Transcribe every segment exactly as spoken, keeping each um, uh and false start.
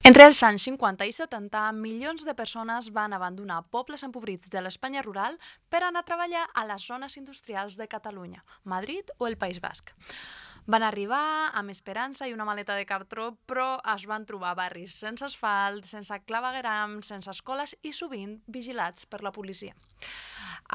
Entre els anys cinquanta i setanta, milions de persones van abandonar pobles empobrits de l'Espanya rural per anar a treballar a les zones industrials de Catalunya, Madrid o el País Basc. Van arribar amb esperança i una maleta de cartró, però es van trobar barris sense asfalt, sense clavegueram, sense escoles i sovint vigilats per la policia.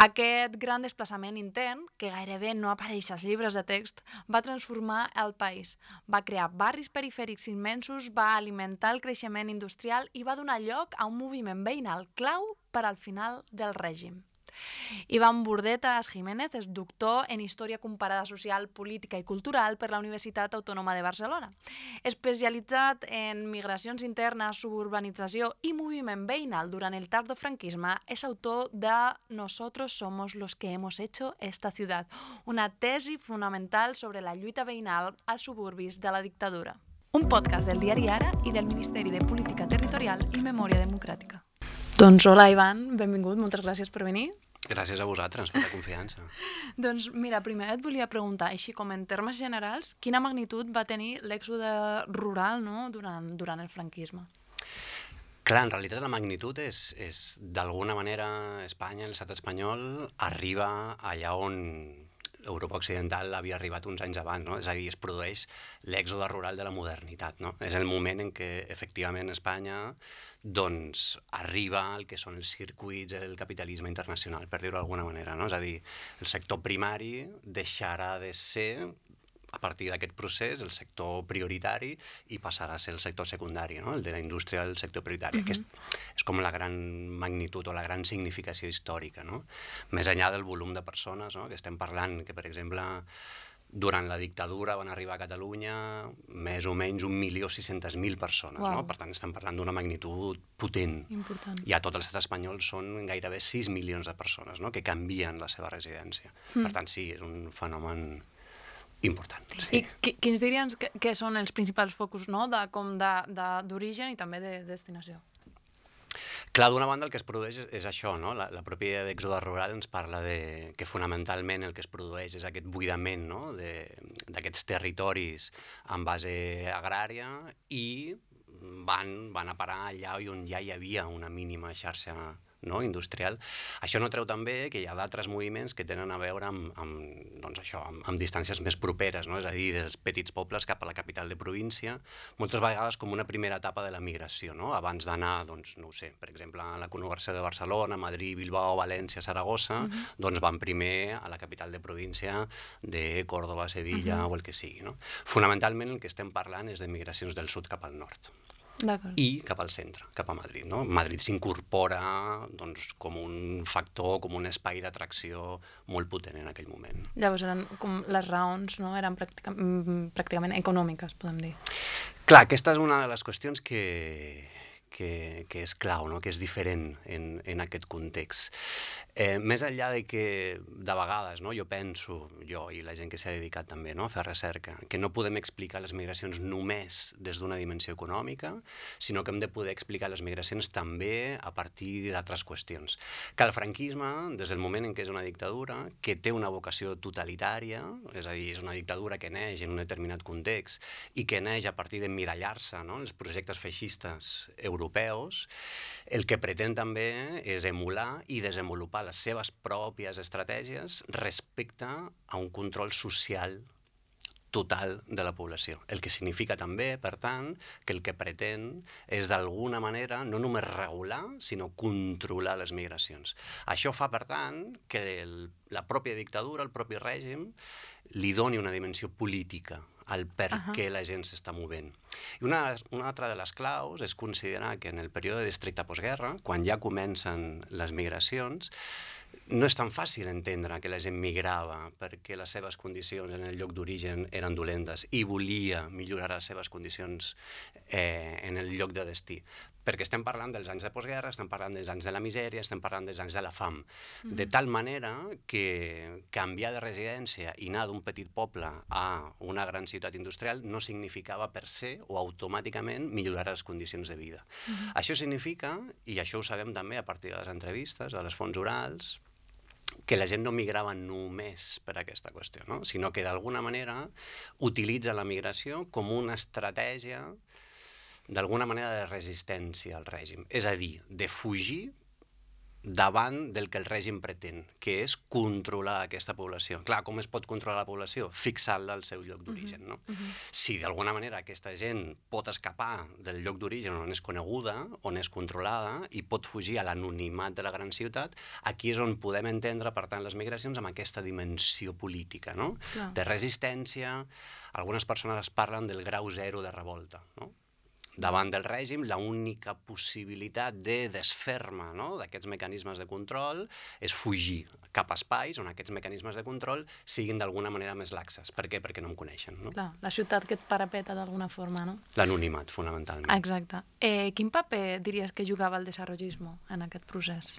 Aquest gran desplaçament intern, que gairebé no apareix als llibres de text, va transformar el país. Va crear barris perifèrics immensos, va alimentar el creixement industrial i va donar lloc a un moviment veïnal clau per al final del règim. Iván Burdetas Jiménez és doctor en Història Comparada Social, Política i Cultural per la Universitat Autònoma de Barcelona. Especialitzat en migracions internes, suburbanització i moviment veïnal durant el tardofranquisme, és autor de Nosotros somos los que hemos hecho esta ciudad, una tesi fonamental sobre la lluita veïnal als suburbis de la dictadura. Un podcast del diari Ara i del Ministeri de Política Territorial i Memòria Democràtica. Doncs hola, Ivan, benvingut, moltes gràcies per venir. Gràcies a vosaltres per la confiança. Doncs mira, primer et volia preguntar, així com en termes generals, quina magnitud va tenir l'èxode rural, no?, durant, durant el franquisme? Clar, en realitat la magnitud és, és d'alguna manera, Espanya, l'estat espanyol, arriba allà on Europa Occidental havia arribat uns anys abans, no? És a dir, es produeix l'èxode rural de la modernitat, no? És el moment en què, efectivament, Espanya doncs arriba al que són els circuits del capitalisme internacional, per dir-ho d'alguna manera, no? És a dir, el sector primari deixarà de ser, a partir d'aquest procés, el sector prioritari i passarà a ser el sector secundari, no? El de la indústria del sector prioritari. Uh-huh. Aquest és com la gran magnitud o la gran significació històrica, no? Més enllà del volum de persones, no? Que estem parlant que, per exemple, durant la dictadura van arribar a Catalunya més o menys un milió sis-centes mil persones, wow. No? Per tant, estem parlant d'una magnitud potent. Important. I a tot l'estat espanyol són gairebé sis milions de persones, no? Que canvien la seva residència. Mm. Per tant, sí, és un fenomen important. Sí. I quins diries que, que són els principals focus, no? De, com de, de, d'origen i també de destinació? Clar, d'una banda el que es produeix és, és això, no? La, la pròpia d'èxode rural ens parla de que fonamentalment el que es produeix és aquest buidament, no? D'aquests territoris en base agrària i van, van a parar allà on ja hi havia una mínima xarxa, no? Industrial. Això no treu també que hi ha d'altres moviments que tenen a veure amb, amb, doncs això, amb, amb distàncies més properes, no? És a dir, dels petits pobles cap a la capital de província, moltes vegades com una primera etapa de la migració, no? Abans d'anar, doncs, no ho sé, per exemple, a la conurbació de Barcelona, Madrid, Bilbao, València, Saragossa, uh-huh. doncs van primer a la capital de província de Córdoba, Sevilla uh-huh. o el que sigui, no? Fonamentalment el que estem parlant és de migracions del sud cap al nord. I cap al centre, cap a Madrid, no? Madrid s'incorpora doncs, com un factor, com un espai d'atracció molt potent en aquell moment. Llavors eren com les raons, no? Eren pràctica, pràcticament econòmiques, podem dir. Clar, aquesta és una de les qüestions que, que, que és clau, no? Que és diferent en, en aquest context. Eh, més enllà de que de vegades, no? Jo penso, jo i la gent que s'ha dedicat també, no? A fer recerca, que no podem explicar les migracions només des d'una dimensió econòmica, sinó que hem de poder explicar les migracions també a partir d'altres qüestions. Que el franquisme, des del moment en què és una dictadura, que té una vocació totalitària, és a dir, és una dictadura que neix en un determinat context i que neix a partir d'emmirallar-se, no? Els projectes feixistes europeus, el que pretén també és emular i desenvolupar les seves pròpies estratègies respecte a un control social total de la població. El que significa també, per tant, que el que pretén és d'alguna manera no només regular, sinó controlar les migracions. Això fa, per tant, que el, la pròpia dictadura, el propi règim, li doni una dimensió política al per uh-huh. què la gent s'està movent. I una, una altra de les claus és considerar que en el període d'estricta postguerra, quan ja comencen les migracions, no és tan fàcil entendre que la gent migrava perquè les seves condicions en el lloc d'origen eren dolentes i volia millorar les seves condicions eh, en el lloc de destí. Perquè estem parlant dels anys de postguerra, estem parlant dels anys de la misèria, estem parlant dels anys de la fam. Mm-hmm. De tal manera que canviar de residència i anar d'un petit poble a una gran ciutat industrial no significava per se o automàticament millorar les condicions de vida. Mm-hmm. Això significa, i això ho sabem també a partir de les entrevistes, de les fonts orals, que la gent no migrava només per aquesta qüestió, no? Sinó que d'alguna manera utilitza la migració com una estratègia d'alguna manera de resistència al règim, és a dir, de fugir davant del que el règim pretén, que és controlar aquesta població. Clar, com es pot controlar la població? Fixant-la al seu lloc d'origen, no? Uh -huh. Si d'alguna manera aquesta gent pot escapar del lloc d'origen on és coneguda, on és controlada, i pot fugir a l'anonimat de la gran ciutat, aquí és on podem entendre, per tant, les migracions amb aquesta dimensió política, no? Clar. De resistència. Algunes persones parlen del grau zero de revolta, no? Davant del règim, l'única possibilitat de desfer-me, no?, d'aquests mecanismes de control és fugir cap a espais on aquests mecanismes de control siguin d'alguna manera més laxes. Per què? Perquè no em coneixen, no? Clar, la ciutat que et parapeta d'alguna forma, no? L'anonimat, fonamentalment. Exacte. Eh, quin paper diries que jugava el desarrollismo en aquest procés?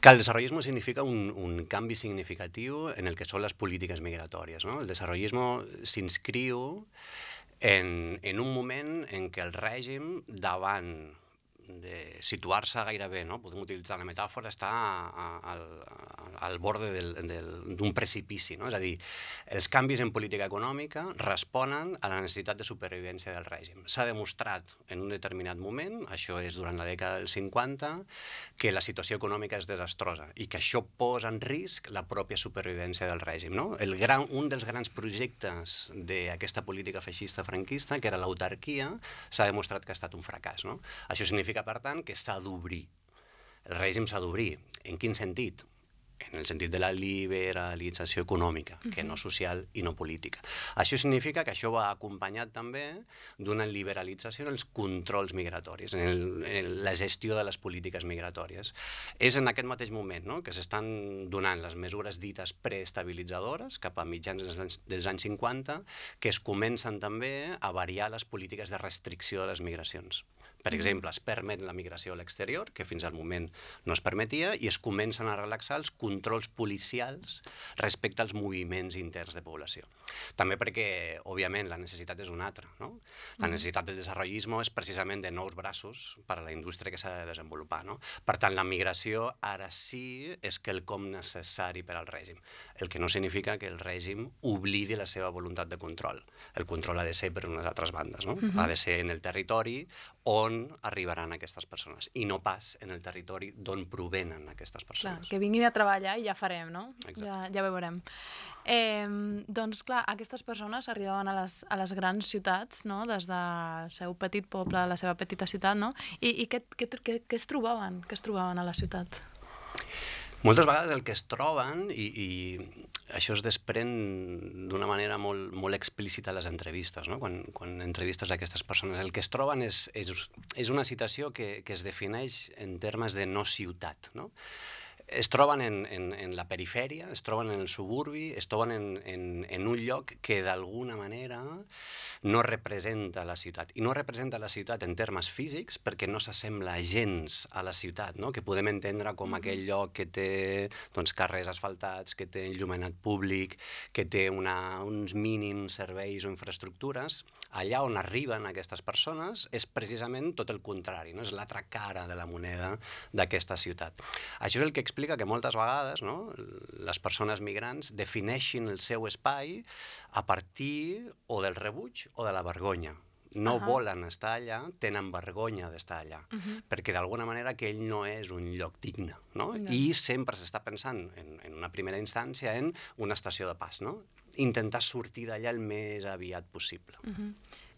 Que el desarrollismo significa un, un canvi significatiu en el que són les polítiques migratòries, no? El desarrollismo s'inscriu En, en un moment en què el règim, davant de situar-se gairebé, no? Podem utilitzar la metàfora, està a, a, al borde d'un precipici, no? És a dir, els canvis en política econòmica responen a la necessitat de supervivència del règim. S'ha demostrat en un determinat moment, això és durant la dècada dels cinquanta, que la situació econòmica és desastrosa i que això posa en risc la pròpia supervivència del règim, no? El gran, un dels grans projectes d'aquesta política feixista franquista, que era l'autarquia, s'ha demostrat que ha estat un fracàs, no? Això significa, per tant, que s'ha d'obrir. El règim s'ha d'obrir. En quin sentit? En el sentit de la liberalització econòmica, que no social i no política. Això significa que això va acompanyat també d'una liberalització en els controls migratoris, en, el, en la gestió de les polítiques migratòries. És en aquest mateix moment, no?, que s'estan donant les mesures dites preestabilitzadores cap a mitjans dels anys, dels anys cinquanta, que es comencen també a variar les polítiques de restricció de les migracions. Per exemple, es permet la migració a l'exterior, que fins al moment no es permetia, i es comencen a relaxar els controls policials respecte als moviments interns de població. També perquè, òbviament, la necessitat és una altra, no? La necessitat del desenvolupisme és precisament de nous braços per a la indústria que s'ha de desenvolupar, no? Per tant, la migració ara sí és quelcom necessari per al règim, el que no significa que el règim oblidi la seva voluntat de control. El control ha de ser per unes altres bandes, no? Uh-huh. Ha de ser en el territori on arribaran aquestes persones i no pas en el territori d'on provenen aquestes persones. Clar, que vinguin a treballar i ja farem, no? Exacte. Ja, ja veurem. Eh, doncs clar, aquestes persones arribaven a les, a les grans ciutats, no?, des del seu petit poble, a la seva petita ciutat, no? I, i què, què, què, què es trobaven? Què es trobaven a la ciutat? Moltes vegades el que es troben, i, i això es desprèn d'una manera molt, molt explícita a les entrevistes, no? Quan, quan entrevistes a aquestes persones, el que es troben és, és, és una situació que, que es defineix en termes de no ciutat, no? Es troben en, en, en la perifèria, es troben en el suburbi, es troben en, en, en un lloc que d'alguna manera no representa la ciutat. I no representa la ciutat en termes físics perquè no s'assembla gens a la ciutat, no? Que podem entendre com mm-hmm. aquell lloc que té doncs, carrers asfaltats, que té il·luminat públic, que té una, uns mínims serveis o infraestructures. Allà on arriben aquestes persones és precisament tot el contrari, no? És l'altra cara de la moneda d'aquesta ciutat. Això és el que explica que moltes vegades, no, les persones migrants defineixin el seu espai a partir o del rebuig o de la vergonya. No uh-huh. volen estar allà, tenen vergonya d'estar allà, uh-huh. perquè d'alguna manera aquell no és un lloc digne, no? Uh-huh. I sempre s'està pensant, en, en una primera instància, en una estació de pas, no? Intentar sortir d'allà el més aviat possible. Uh-huh.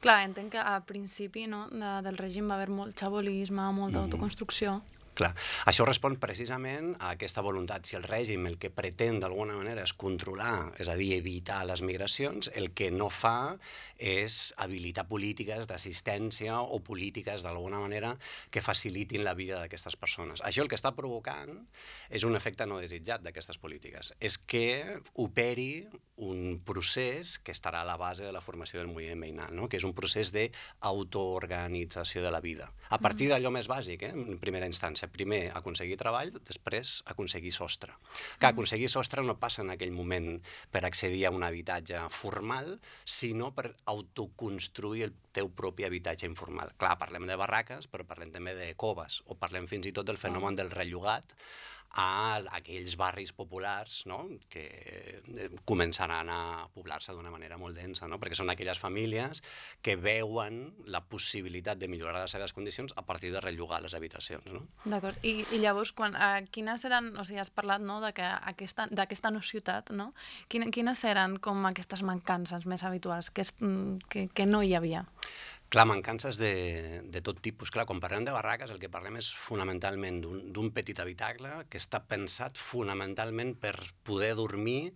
Clar, entenc que al principi, no, de, del règim va haver molt xabolisme, molta uh-huh. autoconstrucció. Clar, això respon precisament a aquesta voluntat. Si el règim el que pretén d'alguna manera és controlar, és a dir, evitar les migracions, el que no fa és habilitar polítiques d'assistència o polítiques d'alguna manera que facilitin la vida d'aquestes persones. Això el que està provocant és un efecte no desitjat d'aquestes polítiques. És que operi un procés que estarà a la base de la formació del moviment veïnal, no? Que és un procés d'autoorganització de la vida. A partir d'allò més bàsic, eh? En primera instància. Primer aconseguir treball, després aconseguir sostre. Que aconseguir sostre no passa en aquell moment per accedir a un habitatge formal, sinó per autoconstruir el teu propi habitatge informal. Clar, parlem de barraques, però parlem també de coves, o parlem fins i tot del fenomen del rellogat, a aquells barris populars, no?, que començaran a poblar-se d'una manera molt densa, no?, perquè són aquelles famílies que veuen la possibilitat de millorar les seves condicions a partir de rellogar les habitacions, no? D'acord. I, I llavors, quan, uh, quines eren, o sigui, has parlat, no?, de que aquesta, d'aquesta no ciutat, no? Quines, quines eren com aquestes mancances més habituals que, és, que, que no hi havia? Clar, mancances de, de tot tipus. Clar, quan parlem de barraques, el que parlem és fonamentalment d'un petit habitacle que està pensat fonamentalment per poder dormir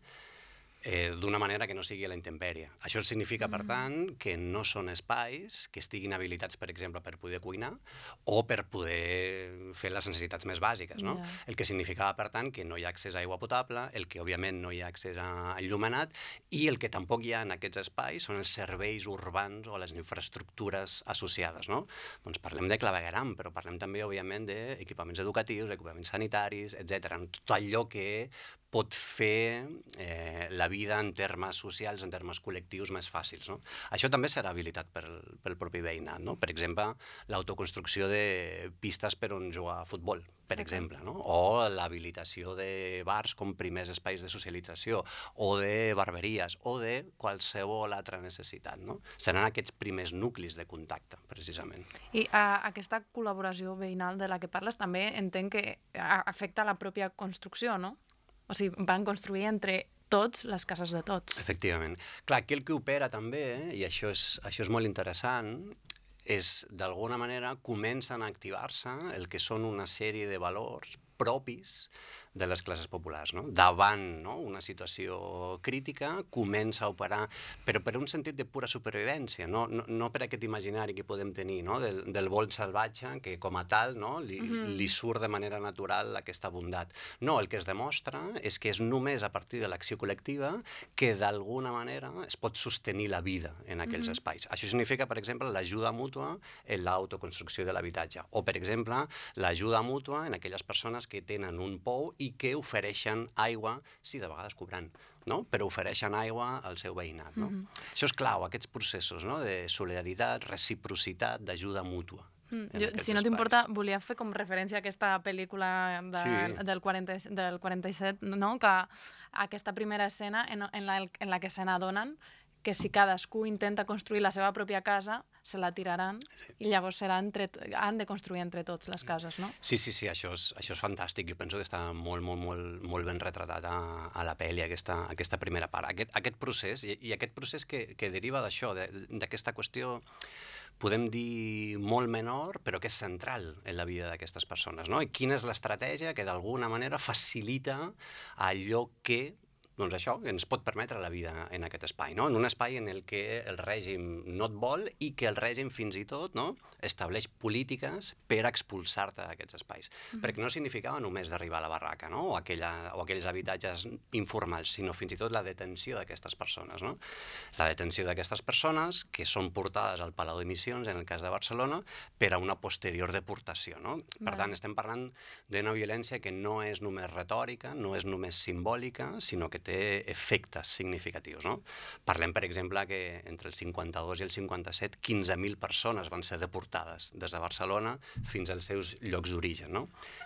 eh, d'una manera que no sigui a la intempèrie. Això significa, per tant, que no són espais que estiguin habilitats, per exemple, per poder cuinar o per poder fer les necessitats més bàsiques, no? Ja. El que significava, per tant, que no hi ha accés a aigua potable, el que, òbviament, no hi ha accés a enllumenat i el que tampoc hi ha en aquests espais són els serveis urbans o les infraestructures associades, no? Doncs parlem de clavegueram, però parlem també, òbviament, d'equipaments educatius, equipaments sanitaris, etcètera. Tot allò que pot fer eh, la vida en termes socials, en termes col·lectius més fàcils, no? Això també serà habilitat pel, pel propi veïnat, no? Per exemple, l'autoconstrucció de pistes per on jugar a futbol, per exemple, no? O l'habilitació de bars com primers espais de socialització, o de barberies, o de qualsevol altra necessitat, no? Seran aquests primers nuclis de contacte, precisament. I uh, aquesta col·laboració veïnal de la que parles també entenc que afecta la pròpia construcció, no? O sigui, van construir entre tots les cases de tots. Efectivament. Clar, aquí el que opera també, eh, i això és, això és molt interessant, és, d'alguna manera, comencen a activar-se el que són una sèrie de valors propis de les classes populars, no? Davant, no?, una situació crítica, comença a operar, però per un sentit de pura supervivència, no, no, no per aquest imaginari que podem tenir, no?, del, del volt salvatge, que com a tal, no?, li, mm-hmm. li surt de manera natural aquesta bondat. No, el que es demostra és que és només a partir de l'acció col·lectiva que d'alguna manera es pot sostenir la vida en aquells mm-hmm. espais. Això significa, per exemple, l'ajuda mútua en l'autoconstrucció de l'habitatge, o, per exemple, l'ajuda mútua en aquelles persones que tenen un pou i que ofereixen aigua, sí, de vegades cobrant, no?, però ofereixen aigua al seu veïnat, no? Mm-hmm. Això és clau, aquests processos, no?, de solidaritat, reciprocitat, d'ajuda mútua. Mm, jo, si no t'importa, volia fer com referència a aquesta pel·lícula de, sí. del, quaranta, del quaranta-set, no?, que aquesta primera escena en, en, la, en la que se n'adonen que si cadascú intenta construir la seva pròpia casa, se la tiraran sí. i llavors serà entre, han de construir entre tots les cases, no? Sí, sí, sí, això és, això és fantàstic. Jo penso que està molt, molt, molt, molt ben retratat a, a la pel·li, aquesta, aquesta primera part. Aquest, aquest procés, i, i aquest procés que, que deriva d'això, d'aquesta qüestió, podem dir molt menor, però que és central en la vida d'aquestes persones, no? I quina és l'estratègia que d'alguna manera facilita allò que doncs això, ens pot permetre la vida en aquest espai, no? En un espai en el que el règim no et vol i que el règim fins i tot, no?, estableix polítiques per expulsar-te d'aquests espais. Mm-hmm. Perquè no significava només d'arribar a la barraca, no?, o, aquella, o aquells habitatges informals, sinó fins i tot la detenció d'aquestes persones, no? La detenció d'aquestes persones que són portades al Palau de Missions, en el cas de Barcelona, per a una posterior deportació, no? Per Vale. tant, estem parlant d'una violència que no és només retòrica, no és només simbòlica, sinó que té efectes significatius, no? Parlem, per exemple, que entre el cinquanta-dos i el cinquanta-set quinze mil persones van ser deportades des de Barcelona fins als seus llocs d'origen, no?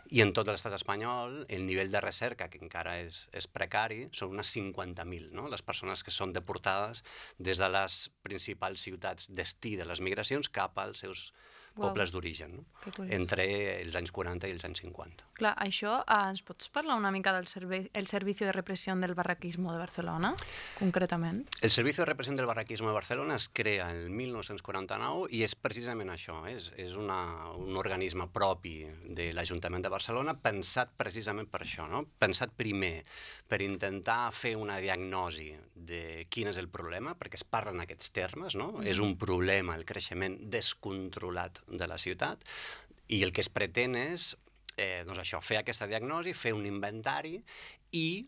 I en tot l'estat espanyol, el nivell de recerca, que encara és, és precari, són unes cinquanta mil, no?, les persones que són deportades des de les principals ciutats destí de les migracions cap als seus Wow. pobles d'origen, no? Entre els anys quaranta i els anys cinquanta. Clar, això, eh, ens pots parlar una mica del servei, el Servicio de Represión del Barraquismo de Barcelona, concretament? El Servicio de Represión del Barraquismo de Barcelona es crea el mil nou-cents quaranta-nou i és precisament això, és, és una, un organisme propi de l'Ajuntament de Barcelona pensat precisament per això, no? Pensat primer per intentar fer una diagnosi de quin és el problema, perquè es parla en aquests termes, no? Mm. És un problema el creixement descontrolat de la ciutat i el que es pretén és eh, doncs això, fer aquesta diagnosi, fer un inventari i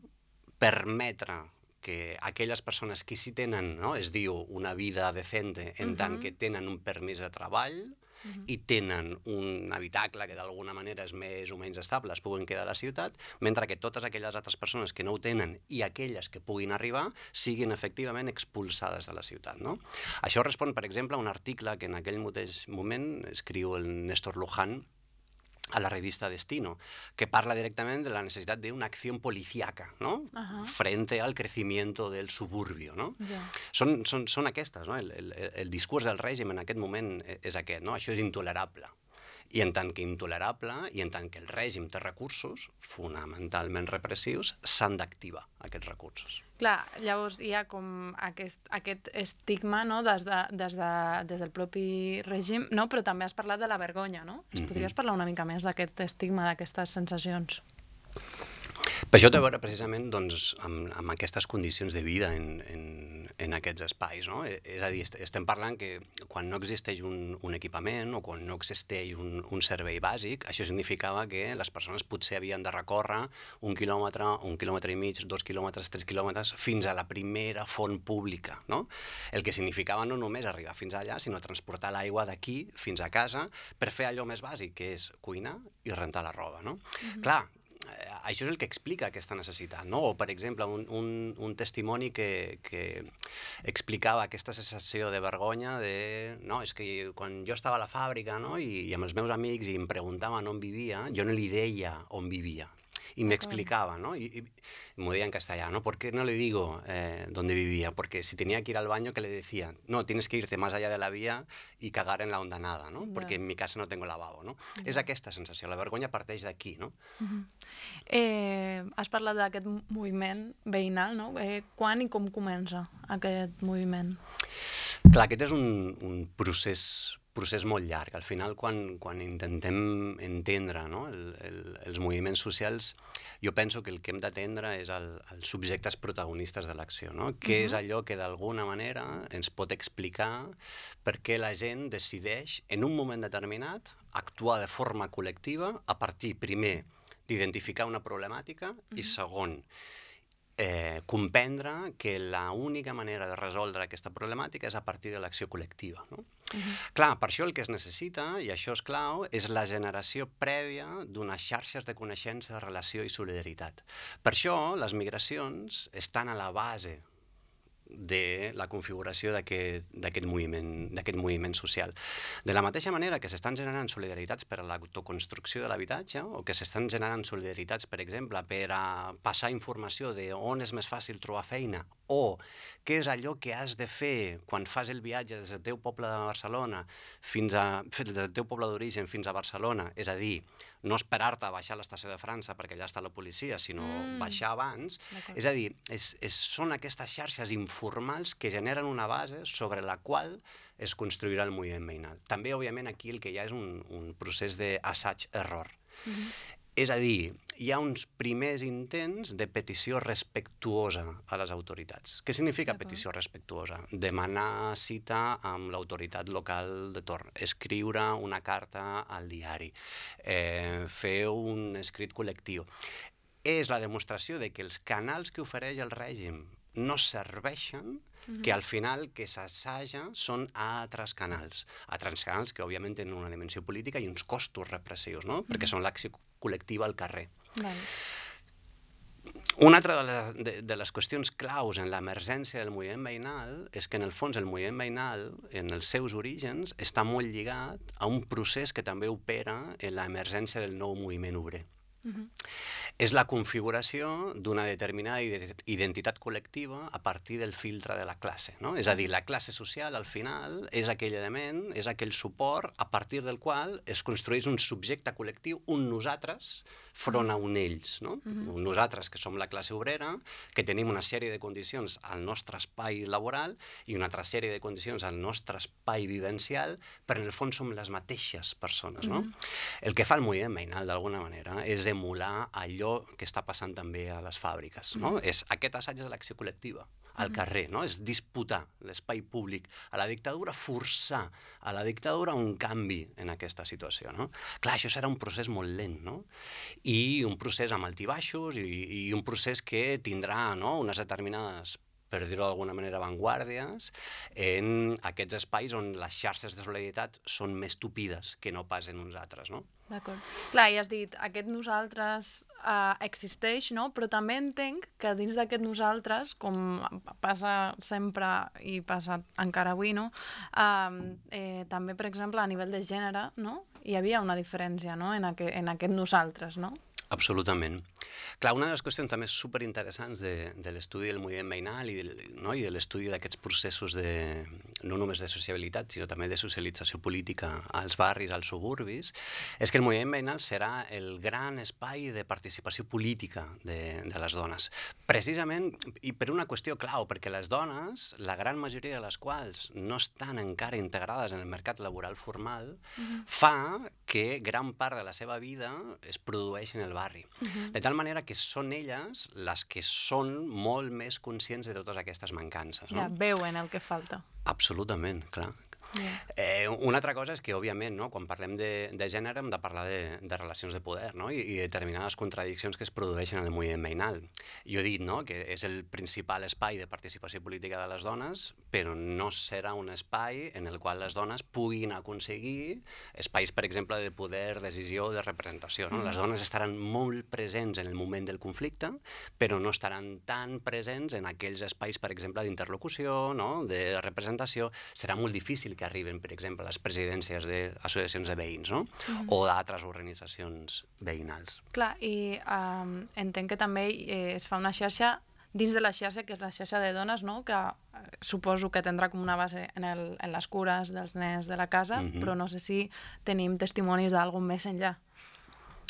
permetre que aquelles persones que sí tenen, no, es diu una vida decente en uh-huh. tant que tenen un permís de treball uh-huh. i tenen un habitacle que d'alguna manera és més o menys estable, es puguin quedar a la ciutat, mentre que totes aquelles altres persones que no ho tenen i aquelles que puguin arribar siguin efectivament expulsades de la ciutat, no? Això respon, per exemple, a un article que en aquell mateix moment escriu el Néstor Luján a la revista Destino, que parla directament de la necessitat d'una acció policíaca, ¿no? Ajá. Frente al crecimiento del suburbio, ¿no? Ja. Són, són, són aquestes, no? El, el, el discurs del règim en aquest moment és aquest, no? Això és intolerable. I en tant que intolerable, i en tant que el règim té recursos, fonamentalment repressius, s'han d'activar aquests recursos. Clar, llavors hi ha com aquest, aquest estigma, no?, des, de, des, de, des del propi règim, no? Però també has parlat de la vergonya, no? Ens Mhm. podries parlar una mica més d'aquest estigma, d'aquestes sensacions? Per això té a veure precisament doncs, amb, amb aquestes condicions de vida en, en, en aquests espais, no? És a dir, estem parlant que quan no existeix un, un equipament o quan no existeix un, un servei bàsic, això significava que les persones potser havien de recórrer un quilòmetre, un quilòmetre i mig, dos quilòmetres, tres quilòmetres, fins a la primera font pública, no? El que significava no només arribar fins allà, sinó transportar l'aigua d'aquí fins a casa per fer allò més bàsic, que és cuinar i rentar la roba, no? Mm-hmm. Clar, això és el que explica aquesta necessitat, no? O, per exemple, un, un, un testimoni que, que explicava aquesta sensació de vergonya de... No, és que quan jo estava a la fàbrica, no?, i, i amb els meus amics i em preguntaven on vivia, jo no li deia on vivia. Y me explicaba, ¿no? Y, y me decía en castellano, ¿por qué no le digo eh, dónde vivía? Porque si tenía que ir al baño, ¿qué le decía? No, tienes que irte más allá de la vía y cagar en la hondanada, ¿no? Porque en mi casa no tengo lavabo, no? És aquesta sensació, la vergonya parteix d'aquí, no? Uh-huh. eh, has parlat d'aquest moviment veïnal, no? Eh, quan i com comença aquest moviment? Clar, aquest és un, un procés procés molt llarg. Al final, quan, quan intentem entendre, no?, el, el, els moviments socials, jo penso que el que hem d'atendre és el, els subjectes protagonistes de l'acció, no? Què uh-huh. és allò que d'alguna manera ens pot explicar per què la gent decideix, en un moment determinat, actuar de forma col·lectiva a partir, primer, d'identificar una problemàtica uh-huh. i, segon, Eh, comprendre que l'única manera de resoldre aquesta problemàtica és a partir de l'acció col·lectiva, no? Uh-huh. Clar, per això el que es necessita, i això és clau, és la generació prèvia d'unes xarxes de coneixença, relació i solidaritat. Per això les migracions estan a la base de la configuració d'aquest moviment, d'aquest moviment social. De la mateixa manera que s'estan generant solidaritats per a l'autoconstrucció de l'habitatge o que s'estan generant solidaritats, per exemple, per a passar informació de on és més fàcil trobar feina o què és allò que has de fer quan fas el viatge des del teu poble de Barcelona fins a, des del teu poble d'origen fins a Barcelona, és a dir, no esperar-te a baixar a l'estació de França perquè allà està la policia, sinó mm. baixar abans. És a dir, és, és, són aquestes xarxes informals que generen una base sobre la qual es construirà el moviment veïnal. També, òbviament, aquí el que hi ha és un, un procés d'assaig-error. Mm-hmm. És a dir, hi ha uns primers intents de petició respectuosa a les autoritats. Què significa petició respectuosa? Demanar cita amb l'autoritat local de torn, escriure una carta al diari, eh, fer un escrit col·lectiu. És la demostració de que els canals que ofereix el règim no serveixen, que al final que s'assaja són altres canals. Altres canals que, òbviament, tenen una dimensió política i uns costos repressius, no? Perquè són l'acció col·lectiva al carrer. Vale. Una altra de, la, de, de les qüestions claus en l'emergència del moviment veïnal és que, en el fons, el moviment veïnal, en els seus orígens, està molt lligat a un procés que també opera en l'emergència del nou moviment obrer. Uh-huh. És la configuració d'una determinada identitat col·lectiva a partir del filtre de la classe, no? És a dir, la classe social, al final, és aquell element, és aquell suport a partir del qual es construeix un subjecte col·lectiu, un nosaltres, front a un ells, no? Uh-huh. Un nosaltres que som la classe obrera, que tenim una sèrie de condicions al nostre espai laboral i una altra sèrie de condicions al nostre espai vivencial, però en el fons som les mateixes persones, no? Uh-huh. El que fa el moviment veïnal, d'alguna manera, és emular allò que està passant també a les fàbriques, no? Uh-huh. És, aquest assaig és l'acció col·lectiva, al carrer, no? És disputar l'espai públic a la dictadura, forçar a la dictadura un canvi en aquesta situació, no? Clar, això serà un procés molt lent, no? I un procés amb altibaixos i, i un procés que tindrà, no?, unes determinades per dir-ho d'alguna manera, avantguàrdies, en aquests espais on les xarxes de solidaritat són més tupides que no pas en uns altres, no? D'acord. Clar, i has dit, aquest nosaltres uh, existeix, no? Però també entenc que dins d'aquest nosaltres, com passa sempre i passa encara avui, no? Uh, eh, també, per exemple, a nivell de gènere, no? Hi havia una diferència, no? En, aqu en aquest nosaltres, no? Absolutament. Clar, una de les qüestions també superinteressants de, de l'estudi del moviment veïnal i, no? I de l'estudi d'aquests processos de, no només de sociabilitat, sinó també de socialització política als barris, als suburbis, és que el moviment veïnal serà el gran espai de participació política de, de les dones. Precisament, i per una qüestió clau, perquè les dones, la gran majoria de les quals no estan encara integrades en el mercat laboral formal, uh-huh. fa que gran part de la seva vida es produeix en el barri. Uh-huh. De tal manera que són elles les que són molt més conscients de totes aquestes mancances. No? Ja, veuen el que falta. Absolutament, clar. Yeah. Eh, una altra cosa és que, òbviament, no, quan parlem de, de gènere hem de parlar de, de relacions de poder, no? I, i determinades contradiccions que es produeixen en el moviment veïnal. Jo he dit, no?, que és el principal espai de participació política de les dones, però no serà un espai en el qual les dones puguin aconseguir espais, per exemple, de poder, decisió, de representació. No? Mm. Les dones estaran molt presents en el moment del conflicte, però no estaran tan presents en aquells espais, per exemple, d'interlocució, no?, de representació. Serà molt difícil que arriben, per exemple, les presidències d'associacions de veïns, no? Uh-huh. O d'altres organitzacions veïnals. Clar, i um, entenc que també eh, es fa una xarxa dins de la xarxa, que és la xarxa de dones, no? Que eh, suposo que tindrà com una base en, el, en les cures dels nens de la casa, uh-huh. però no sé si tenim testimonis d'algú més enllà.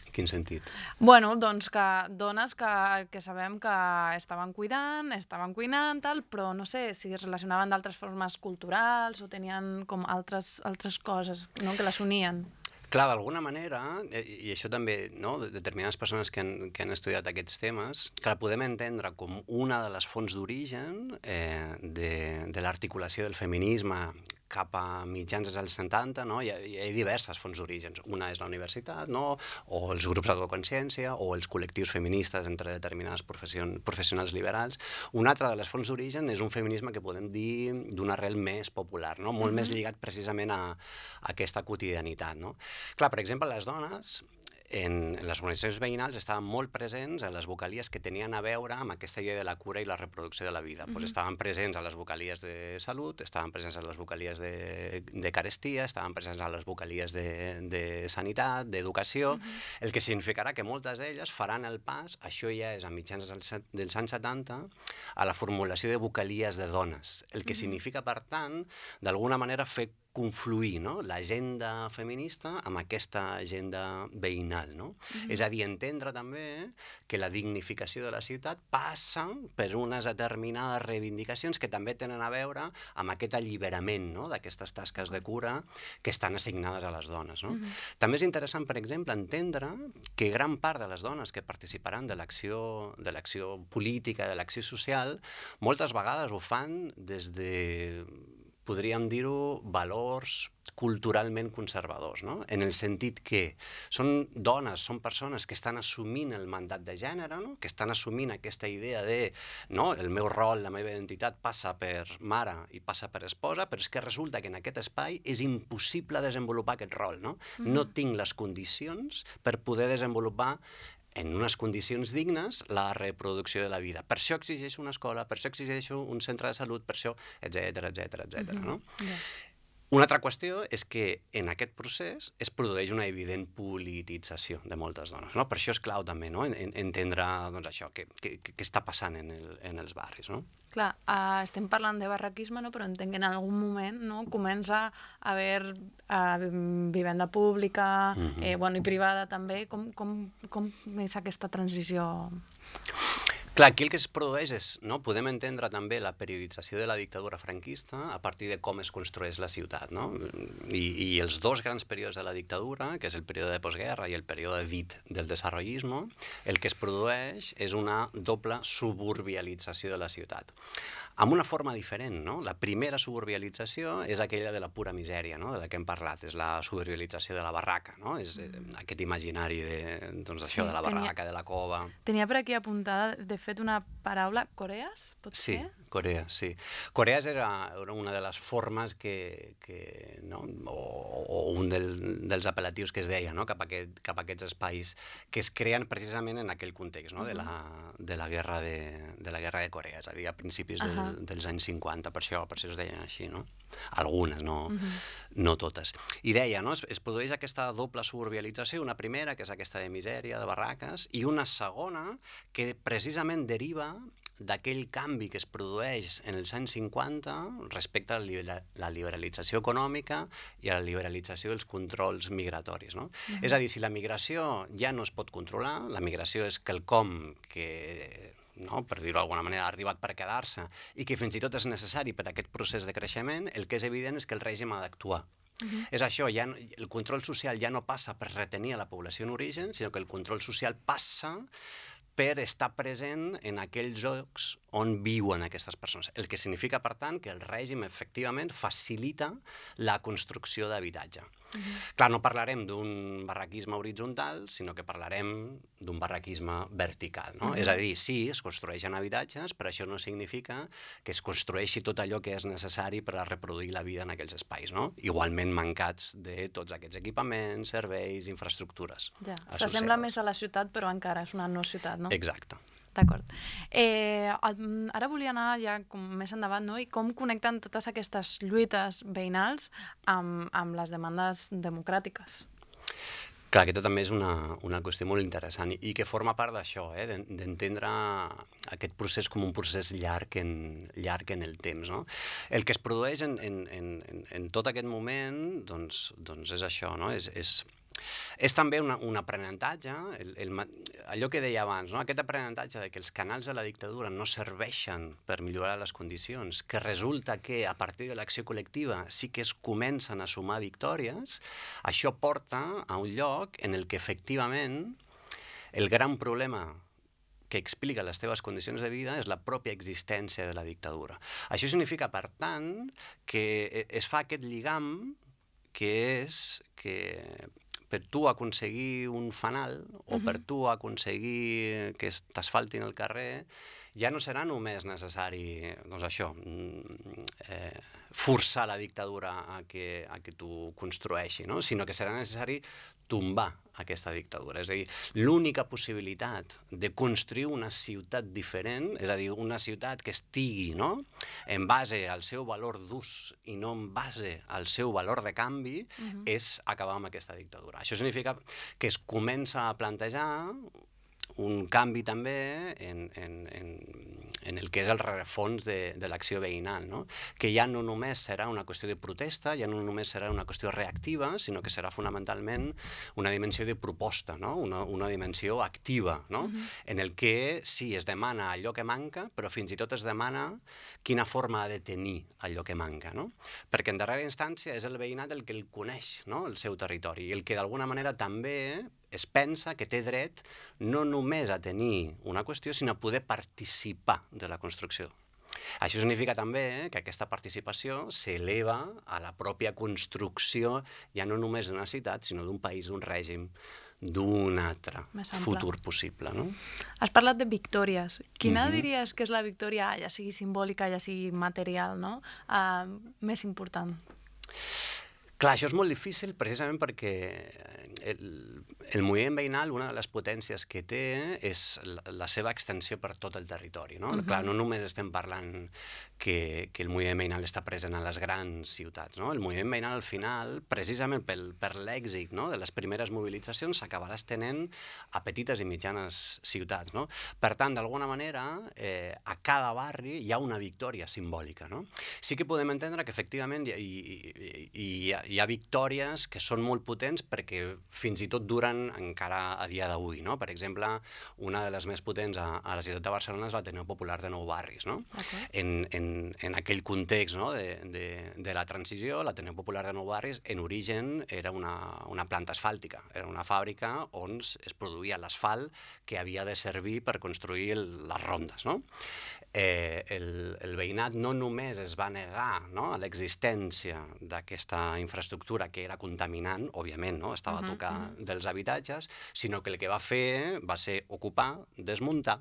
Quin sentit? Bueno, doncs que dones que, que sabem que estaven cuidant, estaven cuinant, tal, però no sé si es relacionaven d'altres formes culturals o tenien com altres, altres coses, no?, que les unien. Clar, d'alguna manera, i això també, no?, determinades persones que han, que han estudiat aquests temes, que la podem entendre com una de les fonts d'origen eh, de, de l'articulació del feminisme cap a mitjans dels setanta, no? Hi ha, hi ha diverses fonts d'orígens. Una és la universitat, no?, o els grups d'autoconsciència, o els col·lectius feministes entre determinades professionals liberals. Una altra de les fonts d'origen és un feminisme que podem dir d'una arrel més popular, no?, molt uh-huh. més lligat precisament a, a aquesta quotidianitat, no? Clar, per exemple, les dones en les organitzacions veïnals estaven molt presents a les vocalies que tenien a veure amb aquesta idea de la cura i la reproducció de la vida. Mm-hmm. Pues estaven presents a les vocalies de salut, estaven presents a les vocalies de, de carestia, estaven presents a les vocalies de, de sanitat, d'educació, mm-hmm. el que significarà que moltes d'elles faran el pas, això ja és a mitjans dels, dels anys setanta, a la formulació de vocalies de dones, el que mm-hmm. significa, per tant, d'alguna manera fer confluir, no?, l'agenda feminista amb aquesta agenda veïnal, no? Mm-hmm. És a dir, entendre també que la dignificació de la ciutat passa per unes determinades reivindicacions que també tenen a veure amb aquest alliberament, no?, d'aquestes tasques de cura que estan assignades a les dones, no? Mm-hmm. També és interessant, per exemple, entendre que gran part de les dones que participaran de l'acció de l'acció política, de l'acció social, moltes vegades ho fan des de, podríem dir-ho, valors culturalment conservadors, no? En el sentit que són dones, són persones que estan assumint el mandat de gènere, no?, que estan assumint aquesta idea de, no?, el meu rol, la meva identitat passa per mare i passa per esposa, però és que resulta que en aquest espai és impossible desenvolupar aquest rol, no? Mm-hmm. No tinc les condicions per poder desenvolupar en unes condicions dignes la reproducció de la vida. Per això exigeixo una escola, per això exigeixo un centre de salut, per això, etcètera, etcètera, etcètera, no? Yeah. Una altra qüestió és que en aquest procés es produeix una evident politització de moltes dones, no? Per això és clau també, no?, en, entendre, doncs, això, què, què, què està passant en, el, en els barris, no? Clar, uh, estem parlant de barraquisme, no?, però entenc que en algun moment, no?, comença a haver uh, vivenda pública, mm-hmm. eh, bueno, i privada també. Com, com, com és aquesta transició? Clar, aquí el que es produeix és, no?, podem entendre també la periodització de la dictadura franquista a partir de com es construeix la ciutat, no? I, i els dos grans períodes de la dictadura, que és el període de postguerra i el període dit del desarrollismo, el que es produeix és una doble suburbialització de la ciutat. Amb una forma diferent, no? La primera suburbialització és aquella de la pura misèria, no?, de la que hem parlat, és la suburbialització de la barraca, no? És aquest imaginari de, doncs, això, sí, de la barraca, tenia, de la cova. Tenia per aquí apuntada, de fet una paraula, Corees, pot Sí, ser? Corea, sí. Corees era, era una de les formes que, que no? o, o un del, dels apel·latius que es deia, no? cap, a aquest, cap a aquests espais que es creen precisament en aquell context, no? Uh -huh. de, la, de, la guerra de, de la guerra de Corea, és a dir, a principis del, Uh -huh. dels anys cinquanta, per això, per això es deien així, no? Algunes, no, Uh -huh. no totes. I deia, no? es, es produeix aquesta doble suburbialització, una primera, que és aquesta de misèria, de barraques, i una segona que precisament deriva d'aquell canvi que es produeix en els anys cinquanta respecte a la liberalització econòmica i a la liberalització dels controls migratoris. No? Uh-huh. És a dir, si la migració ja no es pot controlar, la migració és quelcom que, no, per dir-ho d'alguna manera, ha arribat per quedar-se i que fins i tot és necessari per a aquest procés de creixement, el que és evident és que el règim ha d'actuar. Uh-huh. És això, ja, el control social ja no passa per retenir a la població en origen, sinó que el control social passa per estar present en aquells llocs on viuen aquestes persones. El que significa, per tant, que el règim efectivament facilita la construcció d'habitatge. Uh-huh. Clar, no parlarem d'un barraquisme horitzontal, sinó que parlarem d'un barraquisme vertical. No? Uh-huh. És a dir, sí, es construeixen habitatges, però això no significa que es construeixi tot allò que és necessari per a reproduir la vida en aquells espais, no? Igualment mancats de tots aquests equipaments, serveis, infraestructures. Ja. S'assembla més a la ciutat, però encara és una no ciutat, no? Exacte. D'acord. Eh, ara volia anar ja com més endavant, no? I com connecten totes aquestes lluites veïnals amb, amb les demandes democràtiques? Clar, aquesta també és una, una qüestió molt interessant i que forma part d'això, eh? d'entendre aquest procés com un procés llarg en, llarg en el temps. No? El que es produeix en, en, en, en tot aquest moment doncs, doncs és això, no? és, és És també una, un aprenentatge, el, el, allò que deia abans, no? Aquest aprenentatge de que els canals de la dictadura no serveixen per millorar les condicions, que resulta que a partir de l'acció col·lectiva sí que es comencen a sumar victòries, això porta a un lloc en el que efectivament el gran problema que explica les teves condicions de vida és la pròpia existència de la dictadura. Això significa, per tant, que es fa aquest lligam que és que per tu aconseguir un fanal o uh-huh. per tu aconseguir que t'asfaltin el carrer, ja no serà només necessari, doncs això, eh, forçar la dictadura a que, a que tu construeixi, no? Sinó que serà necessari tombar aquesta dictadura. És a dir, l'única possibilitat de construir una ciutat diferent, és a dir, una ciutat que estigui, no?, en base al seu valor d'ús i no en base al seu valor de canvi, uh-huh. és acabar amb aquesta dictadura. Això significa que es comença a plantejar un canvi també en, en, en, en el que és el rerefons de, de l'acció veïnal, no? Que ja no només serà una qüestió de protesta, ja no només serà una qüestió reactiva, sinó que serà fonamentalment una dimensió de proposta, no? una, una dimensió activa, no? Uh-huh. En el que sí, es demana allò que manca, però fins i tot es demana quina forma ha de tenir allò que manca, no? Perquè en darrera instància és el veïnat el que el coneix, no?, el seu territori, i el que d'alguna manera també es pensa que té dret no només a tenir una qüestió, sinó a poder participar de la construcció. Això significa també que aquesta participació s'eleva a la pròpia construcció ja no només d'una ciutat, sinó d'un país, d'un règim, d'un altre futur possible. No? Has parlat de victòries. Quina uh-huh. diries que és la victòria, ja sigui simbòlica, ja sigui material, no? Uh, més important? Clar, això és molt difícil precisament perquè el, el moviment veïnal, una de les potències que té és la, la seva extensió per tot el territori. No? Uh-huh. Clar, no només estem parlant que, que el moviment veïnal està present a les grans ciutats. No? El moviment veïnal, al final, precisament pel, per l'èxit, no?, de les primeres mobilitzacions, s'acabarà estenent a petites i mitjanes ciutats. No? Per tant, d'alguna manera, eh, a cada barri hi ha una victòria simbòlica. No? Sí que podem entendre que, efectivament, hi, hi, hi, hi ha hi ha victòries que són molt potents perquè fins i tot duren encara a dia d'avui, no? Per exemple, una de les més potents a, a la ciutat de Barcelona és l'Ateneu Popular de Nou Barris, no? Okay. En, en, en aquell context, no?, de, de, de la transició, l'Ateneu Popular de Nou Barris en origen era una, una planta asfàltica, era una fàbrica on es produïa l'asfalt que havia de servir per construir el, les rondes, no? Eh, el, el veïnat no només es va negar, no?, a l'existència d'aquesta infraestructura que era contaminant, òbviament, no?, estava uh-huh, a tocar uh-huh. dels habitatges, sinó que el que va fer va ser ocupar, desmuntar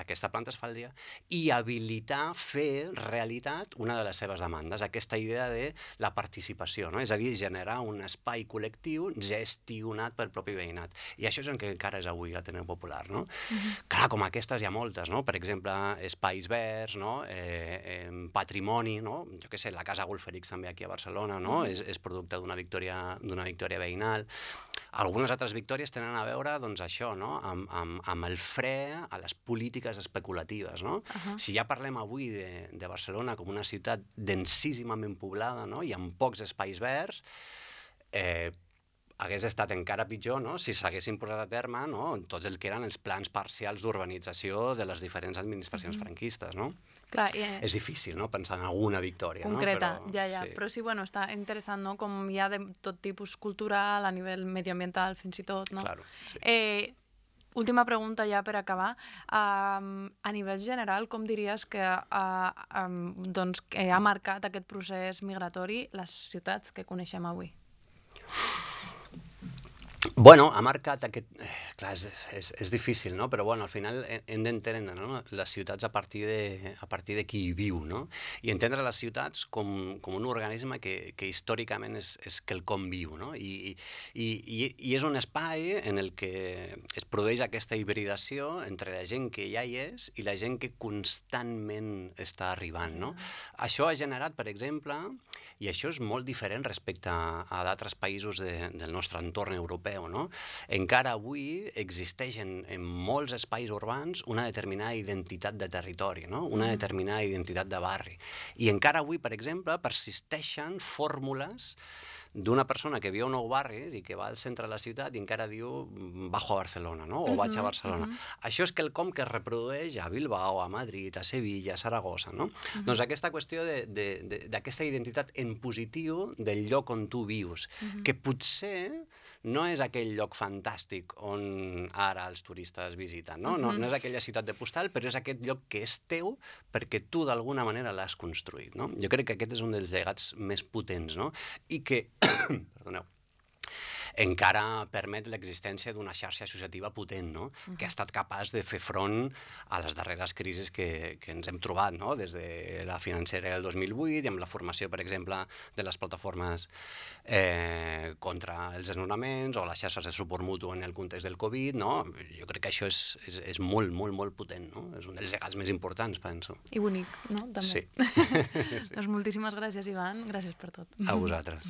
aquesta planta es fa al dia, i habilitar, fer realitat una de les seves demandes, aquesta idea de la participació, no? És a dir, generar un espai col·lectiu gestionat pel propi veïnat. I això és el que encara és avui l'Ateneu Popular, no? Uh-huh. Clar, com aquestes hi ha moltes, no? Per exemple, espais verds, no? Eh, eh, patrimoni, no? Jo què sé, la Casa Golferix també aquí a Barcelona, no? Uh-huh. és, és producte d'una victòria, d'una victòria veïnal. Algunes altres victòries tenen a veure, doncs, això, no? Amb, amb, amb el fre a les polítiques especulatives, no? Uh-huh. Si ja parlem avui de, de Barcelona com una ciutat densíssimament poblada, no? I amb pocs espais verds, eh, hagués estat encara pitjor, no? Si s'haguessin posat a terme, no? Tots el que eren els plans parcials d'urbanització de les diferents administracions uh-huh. franquistes, no? Clar, eh, és difícil, no?, pensar en alguna victòria, concreta, no? Però, ja, ja. Sí. Però sí, bueno, està interessant, no?, com hi ha de tot tipus cultural, a nivell medioambiental, fins i tot, no? Claro, sí. Eh, última pregunta ja per acabar. Um, a nivell general, com diries que, uh, um, doncs, que ha marcat aquest procés migratori les ciutats que coneixem avui? Bueno, ha marcat aquest... Eh, clar, és, és, és difícil, no? Però bueno, al final hem d'entendre, no?, les ciutats a partir de, a partir de qui hi viu, no? I entendre les ciutats com, com un organisme que, que històricament és, és quelcom viu, no? I, i, i, I és un espai en el que es produeix aquesta hibridació entre la gent que ja hi és i la gent que constantment està arribant, no? Això ha generat, per exemple, i això és molt diferent respecte a, a d'altres països de, del nostre entorn europeu, no? Encara avui existeix en, en molts espais urbans una determinada identitat de territori, no? Una determinada identitat de barri. I encara avui, per exemple, persisteixen fórmules d'una persona que viu a un nou barri i que va al centre de la ciutat i encara diu bajo a Barcelona, no? O uh-huh, vaig a Barcelona. Uh-huh. Això és quelcom que es reprodueix a Bilbao, a Madrid, a Sevilla, a Saragossa, no? Uh-huh. Doncs aquesta qüestió d'aquesta identitat en positiu del lloc on tu vius, uh-huh. que potser no és aquell lloc fantàstic on ara els turistes visiten, no? Uh-huh. No, no és aquella ciutat de postal, però és aquest lloc que és teu perquè tu d'alguna manera l'has construït, no? Jo crec que aquest és un dels llegats més potents, no? I que, perdoneu, encara permet l'existència d'una xarxa associativa potent, no? Uh-huh. Que ha estat capaç de fer front a les darreres crisis que, que ens hem trobat, no? Des de la financera del dos mil vuit i amb la formació, per exemple, de les plataformes eh, contra els desnonaments o les xarxes de suport mutu en el context del Covid, no? Jo crec que això és, és, és molt, molt, molt potent, no? És un dels llegats més importants, penso. I bonic, no? També. Sí. Doncs moltíssimes gràcies, Ivan. Gràcies per tot. A vosaltres.